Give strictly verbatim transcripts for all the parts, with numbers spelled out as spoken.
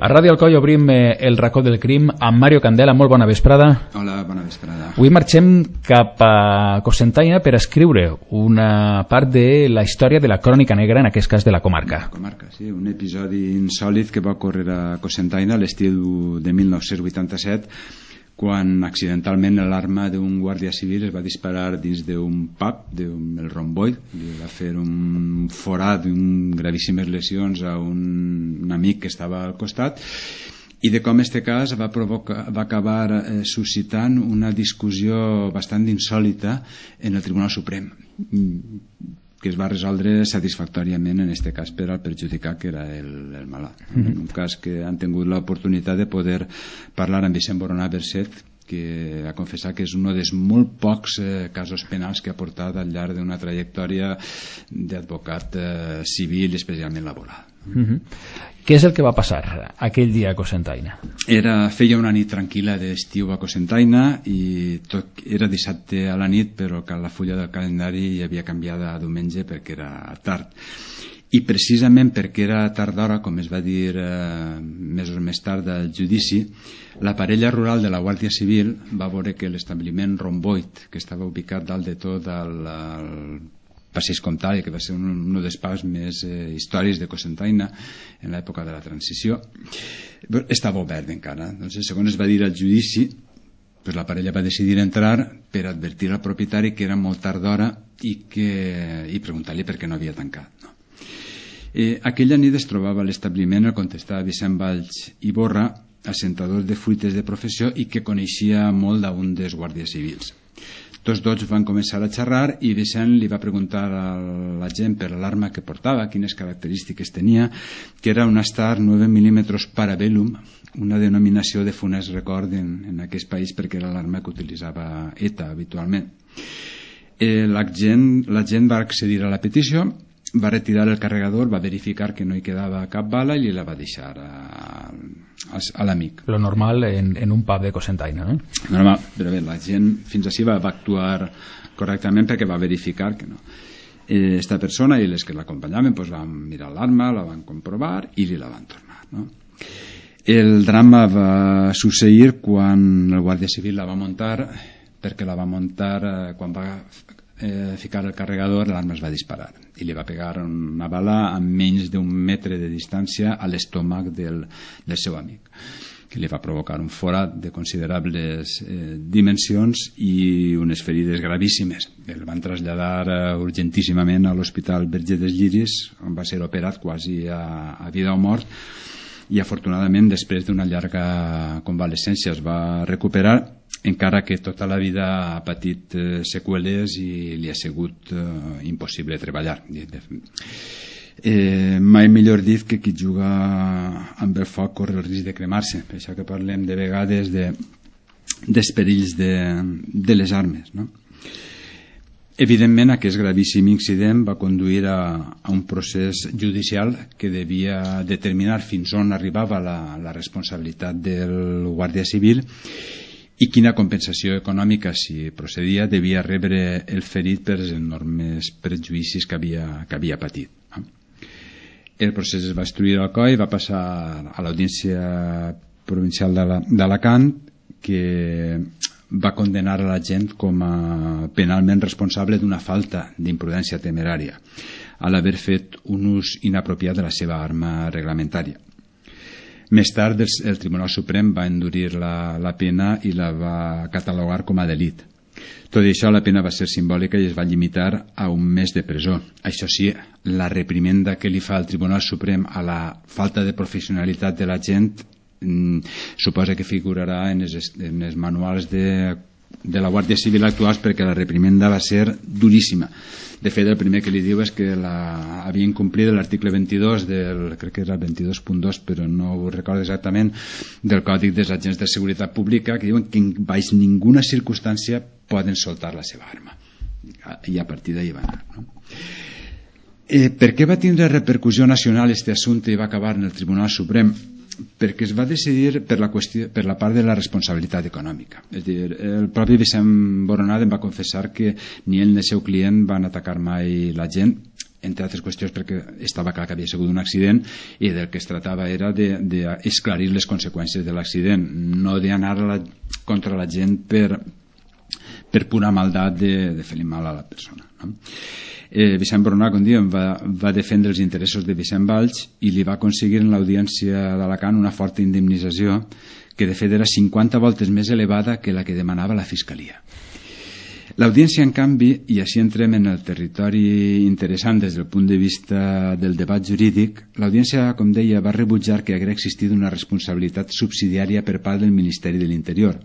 A Ràdio Alcoi obrim eh, el racó del crim amb Mario Candela. Molt bona vesprada. Hola, bona vesprada. Avui marxem cap a Cocentaina per escriure una part de la història de la crònica negra, en aquest cas de la comarca. La comarca, sí, un episodi insòlit que va ocórrer a Cocentaina a l'estiu de mil nou-cents vuitanta-set, quan accidentalment l'arma d'un guàrdia civil es va disparar dins d'un pub, del Romboid, li va fer un forat, un gravíssimes lesions a un, un amic que estava al costat, i de com este cas va, provocar, va acabar eh, suscitant una discussió bastant insòlita en el Tribunal Suprem, que es va resoldre satisfactòriament en este cas per al perjudicat, que era el, el malalt. Mm-hmm. En un cas que han tingut l'oportunitat de poder parlar amb Vicent Boronà Berset, que ha confessat que és un dels molt pocs eh, casos penals que ha portat al llarg d'una trajectòria d'advocat eh, civil, especialment laboral. Mm-hmm. Què és el que va passar aquell dia a Cocentaina? Era, feia una nit tranquil·la d'estiu a Cocentaina i tot, era dissabte a la nit, però que la fulla del calendari havia canviat a diumenge perquè era tard. I precisament perquè era tard d'hora, com es va dir eh, mesos més tard del judici, la parella rural de la Guàrdia Civil va veure que l'establiment Romboid, que estava ubicat dalt de tot al, al Passeig Comtal, que va ser un, un dels pubs més eh, històrics de Cocentaina en l'època de la transició, estava obert encara. Doncs, segons es va dir al judici, pues la parella va decidir entrar per advertir al propietari que era molt tard d'hora i, que, i preguntar-li per què no havia tancat. No? Eh, aquella nit es trobava a l'establiment el contestava Vicent Valls i Borra, assentador de fruites de professió i que coneixia molt d'un dels guàrdies civils. Tots dos van començar a xerrar i Vicent li va preguntar a la gent per l'arma que portava, quines característiques tenia, que era una Star nueve milímetres Parabellum, una denominació de funest record en, en aquest país perquè era l'arma que utilitzava ETA habitualment. Eh, la, gent, la gent va accedir a la petició, va retirar el carregador, va verificar que no hi quedava cap bala i la va deixar a, a, a l'amic. Lo normal en, en un pub de Cocentaina, no? Normal, però bé, la gent fins així va, va actuar correctament perquè va verificar que no. Eh, esta persona i les que l'acompanyaven pues, van mirar l'arma, la van comprovar i li la van tornar. No? El drama va succeir quan el Guàrdia Civil la va muntar, perquè la va muntar eh, quan va Eh, ficar el carregador, l'arma es va disparar i li va pegar una bala a menys d'un metre de distància a l'estómac del, del seu amic, que li va provocar un forat de considerables eh, dimensions i unes ferides gravíssimes. El van traslladar eh, urgentíssimament a l'Hospital Verger dels Lliris, on va ser operat quasi a, a vida o mort, i afortunadament després d'una llarga convalescència es va recuperar, encara que tota la vida ha patit eh, seqüeles i li ha sigut eh, impossible treballar. Eh, mai millor dit que qui juga amb el foc corre el risc de cremar-se, per això que parlem de vegades de, dels perills de, de les armes, no? Evidentment, aquest gravíssim incident va conduir a, a un procés judicial que devia determinar fins on arribava la, la responsabilitat del Guàrdia Civil i quina compensació econòmica, si procedia, devia rebre el ferit per els enormes prejudicis que havia, que havia patit. El procés es va instruir al C O I, va passar a l'Audiència Provincial d'Alacant, que va condenar a la gent com a penalment responsable d'una falta d'imprudència temerària a l'haver fet un ús inapropiat de la seva arma reglamentària. Més tard el Tribunal Suprem va endurir la, la pena i la va catalogar com a delit. Tot i això, la pena va ser simbòlica i es va limitar a un mes de presó. Això sí, la reprimenda que li fa el Tribunal Suprem a la falta de professionalitat de la gent Mm, suposa que figurarà en els, en els manuals de, de la Guàrdia Civil actuals, perquè la reprimenda va ser duríssima. De fet, el primer que li diu és que la, havia incomplert l'article vint-i-dos del, crec que era el vint-i-dos punt dos, però no ho recordo exactament, del Còdic dels Agents de Seguretat Pública, que diuen que en baix ninguna circumstància poden soltar la seva arma, i a partir d'ahir va anar, no? Eh, per què va tindre repercussió nacional este assumpte i va acabar en el Tribunal Suprem? Perquè es va decidir per la, qüestió, per la part de la responsabilitat econòmica. És dir, el propi Vicent Boronà em va confessar que ni ell ni el seu client van atacar mai la gent entre altres qüestions perquè estava clar que havia sigut un accident i del que es tractava era d'esclarir les conseqüències de l'accident, no d'anar la, contra la gent per, per pura maldat de, de fer-li mal a la persona, no? Eh, Vicent Boronat, com diem, va, va defendre els interessos de Vicent Valls i li va aconseguir en l'audiència d'Alacant una forta indemnització que de fet era cinquanta voltes més elevada que la que demanava la Fiscalia. L'audiència, en canvi, i així entrem en el territori interessant des del punt de vista del debat jurídic, l'audiència, com deia, va rebutjar que hagués existit una responsabilitat subsidiària per part del Ministeri de l'Interior,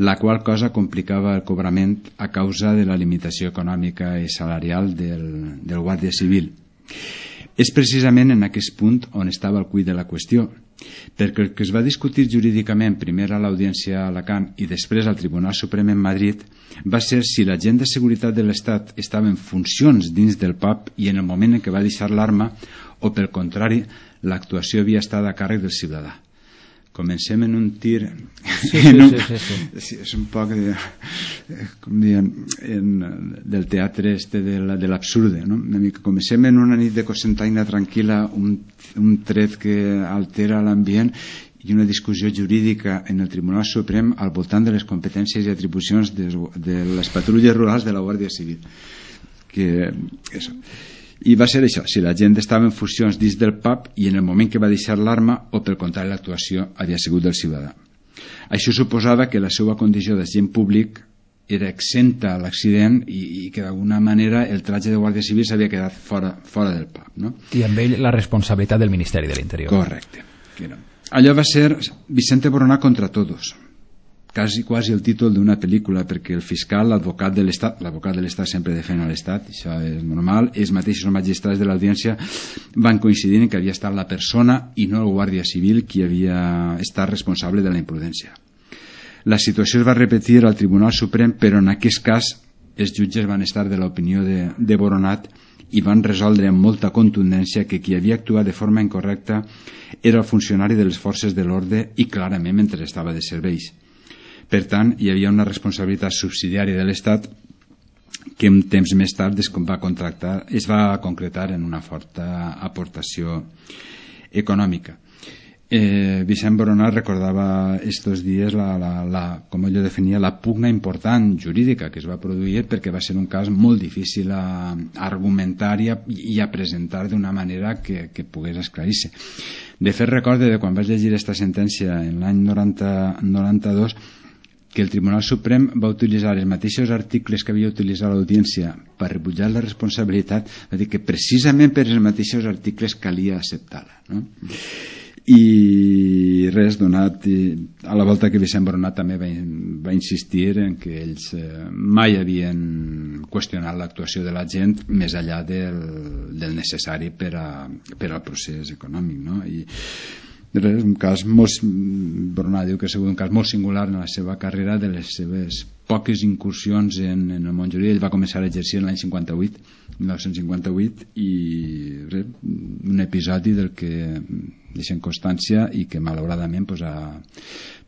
la qual cosa complicava el cobrament a causa de la limitació econòmica i salarial del, del Guàrdia Civil. És precisament en aquest punt on estava el cuit de la qüestió, perquè el que es va discutir jurídicament primer a l'Audiència a Alacant i després al Tribunal Suprem en Madrid va ser si l'agent de seguretat de l'Estat estava en funcions dins del P A P i en el moment en què va deixar l'arma o, pel contrari, l'actuació havia estat a càrrec del ciutadà. Comencem en un tir sí, sí, un, sí, sí, sí. sí, és un poc de, com dient, en, del teatre este de, la, de l'absurde, no? Una mica. Comencem en una nit de cocentaina tranquil·la, un, un tret que altera l'ambient i una discussió jurídica en el Tribunal Suprem al voltant de les competències i atribucions de, de les patrulles rurals de la Guàrdia Civil, que això. I va ser això, si la gent estava en funcions dins del P A P i en el moment que va deixar l'arma o, pel contrari, l'actuació havia sigut del ciutadà. Això suposava que la seva condició d'agent públic era exenta a l'accident i, i que d'alguna manera el tratge de Guàrdia Civil s'havia quedat fora, fora del P A P, no? I amb ell la responsabilitat del Ministeri de l'Interior. Correcte. Allò va ser Vicente Boronat contra todos, quasi, quasi el títol d'una pel·lícula, perquè el fiscal, l'advocat de l'Estat, l'advocat de l'Estat sempre defèn a l'Estat, això és normal, els mateixos magistrats de l'audiència van coincidir en que havia estat la persona i no el guàrdia civil qui havia estat responsable de la imprudència. La situació es va repetir al Tribunal Suprem, però en aquest cas els jutges van estar de l'opinió de, de Boronat i van resoldre amb molta contundència que qui havia actuat de forma incorrecta era el funcionari de les forces de l'ordre i clarament mentre estava de serveis. Per tant, hi havia una responsabilitat subsidiària de l'Estat que un temps més tard es va, contractar, es va concretar en una forta aportació econòmica. Eh, Vicent Boronat recordava estos dies la, la, la, com ell definia, la pugna important jurídica que es va produir perquè va ser un cas molt difícil a, a argumentar i a, i a presentar d'una manera que, que pogués esclarir-se. De fet, recorde de quan vaig llegir aquesta sentència en l'any noranta-dos que el Tribunal Suprem va utilitzar els mateixos articles que havia utilitzat l'audiència per rebutjar la responsabilitat, va dir que precisament per els mateixos articles calia acceptar-la, no? I res, donat a la volta que Vicent Boronat també va, va insistir en que ells eh, mai havien qüestionat l'actuació de la gent més enllà del, del necessari per, a, per al procés econòmic, no? I res, un cas molt, Boronat diu que ha sigut un cas molt singular en la seva carrera, de les seves poques incursions en, en el món jurídic. Ell va començar a exercir en l'any cinquanta-vuit, mil nou-cents cinquanta-vuit, i res, un episodi del que deixen constància i que malauradament pues, ha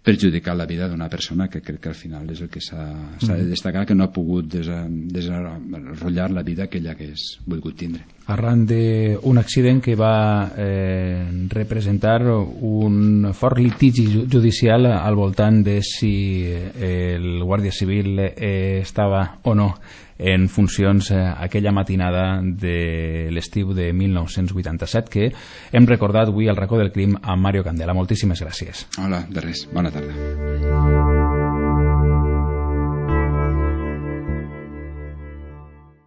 perjudicat la vida d'una persona que crec que al final és el que s'ha mm. de destacar, que no ha pogut desenrotllar la vida que ell hagués volgut tindre. Arran d'un accident que va eh, representar un fort litigi judicial al voltant de si el Guàrdia Civil eh, estava o no en funcions eh, aquella matinada de l'estiu de mil nou-cents vuitanta-set, que hem recordat avui al racó del crim amb Mario Candela. Moltíssimes gràcies. Hola, de res. Bona tarda.